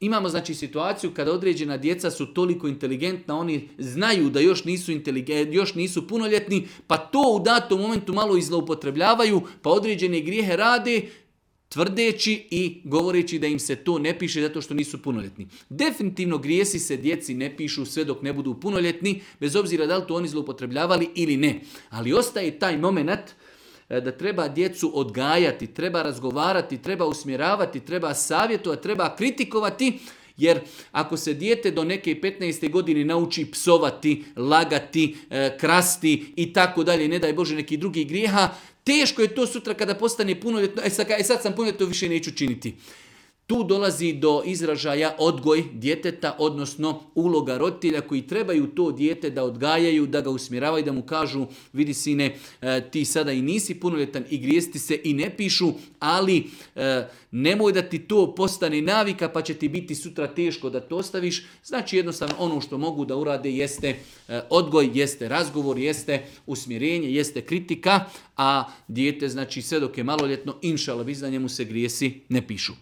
Imamo znači situaciju kada određena djeca su toliko inteligentna, oni znaju da još nisu punoljetni, pa to u datom momentu malo izloupotrebljavaju, pa određene grijehe rade, tvrdeći i govoreći da im se to ne piše zato što nisu punoljetni. Definitivno grijesi se djeci ne pišu sve dok ne budu punoljetni, bez obzira da li to oni zloupotrebljavali ili ne. Ali ostaje taj moment da treba djecu odgajati, treba razgovarati, treba usmjeravati, treba savjetovati, treba kritikovati, jer ako se dijete do neke 15. godine nauči psovati, lagati, krasti i tako dalje, ne daj Bože neki drugi grijeha, teško je to sutra kada postane punoljetno, sad sam punoljetno, više neću činiti. Tu dolazi do izražaja odgoj djeteta, odnosno uloga roditelja koji trebaju to dijete da odgajaju, da ga usmjeravaju, da mu kažu vidi sine, ti sada i nisi punoljetan i grijesti se i ne pišu, ali nemoj da ti to postane navika pa će ti biti sutra teško da to ostaviš. Znači jednostavno ono što mogu da urade jeste odgoj, jeste razgovor, jeste usmjerenje, jeste kritika, a dijete znači sve dok je maloljetno, inšala bizna, njemu se grijesi ne pišu.